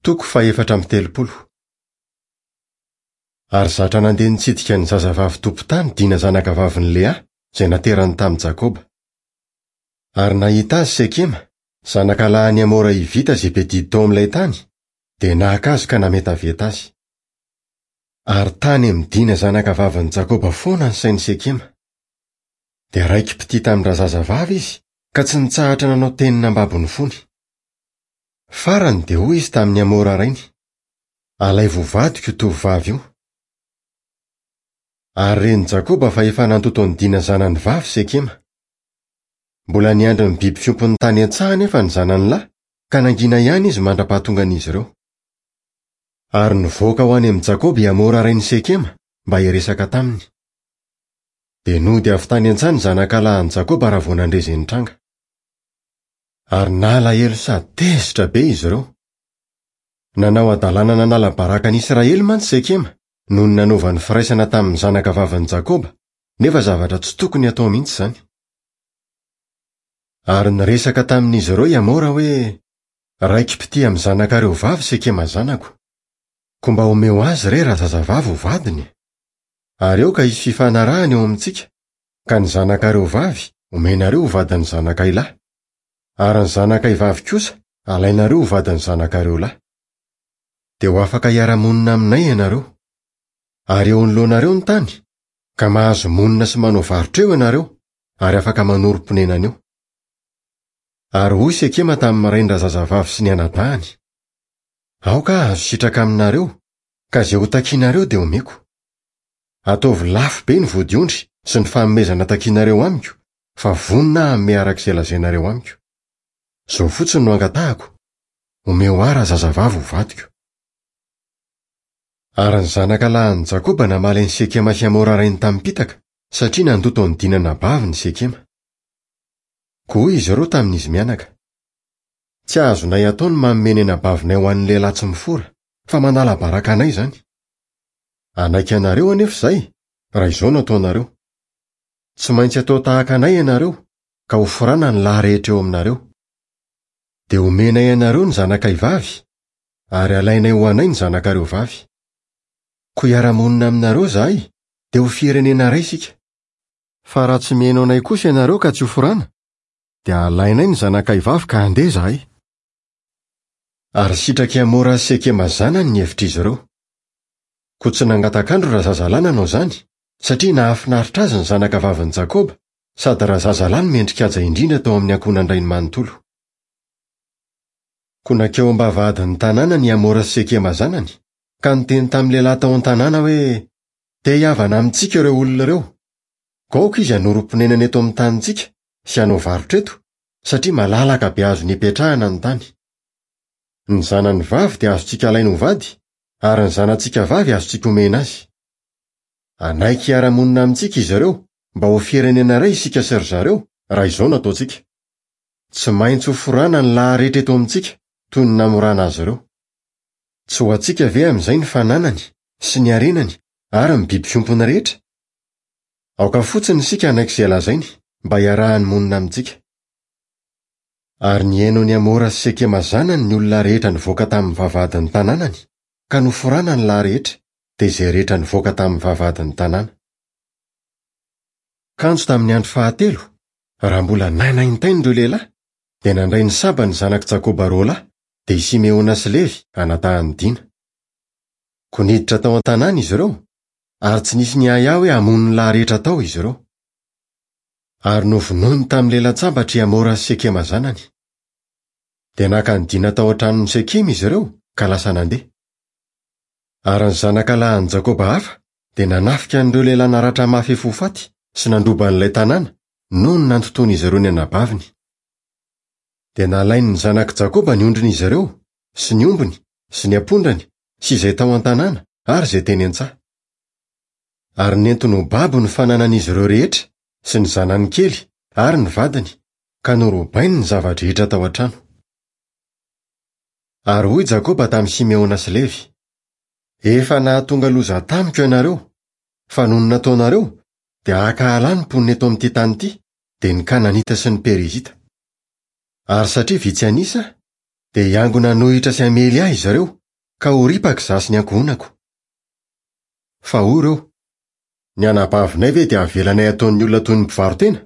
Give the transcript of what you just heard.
Toko fahefatra amby telopolo. Ary zatra nandeha nitsidika ny zazavavy tompon-tany Dina zanakavavin'i Lea, izay naterany tamin'i Jakoba. Ary nahita azy Sekema, zanakalahin'i Hamora Hivita izay be didy tao amin'ilay tany, dia naka azy ka nametaveta azy. Ary tany amin'i Dina zanakavavin'i Jakoba foana ny sain'i Sekema. Dia raiki-pitia tamin-drazazavavy izy, ka tsy nitsahatra nanao teny nambabo ny fony. Farany dia hoy izy tamin'i Hamora rainy, Alaivo ho vadiko io tovovavy io. Ary ren'i Jakoba fa efa nandoto an'i Dina zanany vavy Sekema. Mbola niandry ny biby fiompiny tany an-tsaha anefa ny zanany lahy, ka nangina ihany izy mandra-pahatongan'izy ireo. Ary nivoaka ho any amin'i Jakoba i Hamora rain'i Sekema mba hiresaka taminy. Dia nody avy tany an-tsaha ny zanakalahin'i Jakoba raha vao nandre izay nitranga. Ary nalahelo sady tezitra be izy ireo. Nanao hadalana nanala baraka an'i Israely mantsy Sekema noho ny nanaovany firaisana tamin'ny zanakavavin'i Jakoba, nefa zavatra tsy tokony hatao mihitsy izany. Ary niresaka tamin'izy ireo i Hamora hoe, Raiki-pitia amin'ny zanakareo vavy Sekema zanako. Koa mba omeo azy re razazavavy ho vadiny. Ary aoka hisy fifanarahana eo amintsika, ka ny zanakareo vavy omenareo ho vadin'ny zanakay lahy, ary ny zanakay vavy kosa alainareo ho vadin'ny zanakareo lahy. Dia ho afaka hiara-monina aminay ianareo. Ary eo anoloanareo ny tany, ka mahazo monina sy manao varotra eo ianareo, ary afaka manorim-ponenana eo. Ary hoy Sekema tamin'ny rain-drazazavavy sy ny anadahiny, Aoka hahazo sitraka aminareo, ka izay hotakinareo dia homeko. Ataovy lafo be ny vodiondry sy ny fanomezana takinareo amiko, fa vonona aho hanome araka izay lazainareo amiko. Izao fotsiny no angatahako, omeo ahy razazavavy ho vadiko. Ary ny zanaka lahin'i Jakoba namaly an'i Sekema sy Hamora rainy tamim-pitaka, satria nandoto an'i Dina anabaviny Sekema. Koa hoy izy ireo tamin'izy mianaka, Tsy azonay atao ny manome ny anabavinay ho an'ny lehilahy tsy mifora, fa manala baraka anay izany. Hanaiky anareo anefa izahay, raha izao no ataonareo. Tsy maintsy atao tahaka anay ianareo, ka hoforana ny lahy rehetra eo aminareo. Dia homenay anareo ny zanakay vavy, ary halainay ho anay ny zanakareo vavy. Koa hiara-monina aminareo izahay, dia ho firenena iray isika. Fa raha tsy mihaino anay kosa ianareo ka tsy hoforana, dia halainay ny zanakay vavy ka handeha izahay. Ary sitrak'i Hamora sy Sekema zanany ny hevitr'izy ireo. Koa tsy nangatak'andro razazalahy nanao izany, satria nahafinaritra azy ny zanaka vavin'i Jakoba, sady razazalahy no mendri-kaja indrindra tao amin'ny ankohonan-drainy manontolo. Koa nankeo am-bavahadin'ny tanànany i Hamora sy Sekema zanany, ka niteny tamin'ny lehilahy tao an-tanàna hoe, Te hihavana amintsika ireo olona ireo. Koa aoka izy hanorim-ponenana eto amin'ny tanintsika sy hanao varotra eto, satria malalaka be azony ipetrahana ny tany. Ny zanany vavy dia azontsika alaina ho vady, ary ny zanatsika vavy azontsika omena azy. Hanaiky hiara-monina amintsika izy ireo mba ho firenena iray isika sy ry zareo, raha izao no ataontsika. Tsy maintsy hoforana ny lahy rehetra eto amintsika, toy ny namorana azy ireo. Tsy ho antsika ve amin'izay ny fananany sy ny harenany ary ny biby fiompiny rehetra? Aoka fotsiny isika hanaiky izay lazainy mba hiarahany monina amintsika. Ary nihaino an'i Hamora sy Sekema zanany ny olona rehetra nivoaka tamin'ny vavahadin'ny tanànany, ka noforana ny lahy rehetra, dia izay rehetra nivoaka tamin'ny vavahadin'ny tanàna. Kanjo tamin'ny andro fahatelo, raha mbola nanaintaina ireo lehilahy, dia nandray ny sabany ny zanak'i Jakoba roalahy, dia i Simeona sy Levy, anadahin'i Dina. Koa niditra tao an-tanàna izy ireo, ary tsy nisy niahiahy hoe hamono ny lahy rehetra tao izy ireo. Ary novonoiny tamin'ny lelan-tsabatra i Hamora sy Sekema zanany. Dia naka an'i Dina tao an-tranon'i Sekema izy ireo, ka lasa nandeha. Ary ny zanaka lahin'i Jakoba hafa dia nanafika an'ireo lehilahy naratra mafy efa ho faty sy nandroba an'ilay tanàna, noho ny nantotoan'izy ireo ny anabaviny. Dia nalain'ny zanak'i Jakoba ny ondrin'izy ireo, sy ny ombiny, sy ny ampondrany, sy izay tao an-tanàna, ary izay teny an-tsaha. Ary nentiny ho babo ny fananan'izy ireo rehetra, sy ny zanany kely, ary ny vadiny, ka norobainy ny zava-drehetra tao an-trano. Ary hoy Jakoba tamin'i Simeona sy Levy, Efa nahatonga loza tamiko ianareo, fa noho ny nataonareo, dia hankahala ny mponina eto amin'ity tany ity, dia ny Kananita sy ny Perizita. Ary satria vitsy an'isa, dia hiangona hanohitra sy hamely ahy izy ireo, Ka ho ripaka izaho sy ny ankohonako. Fa hoy ireo, Ny anabavinay ve dia havelanay hataon'ny olona toy ny mpivaro-tena?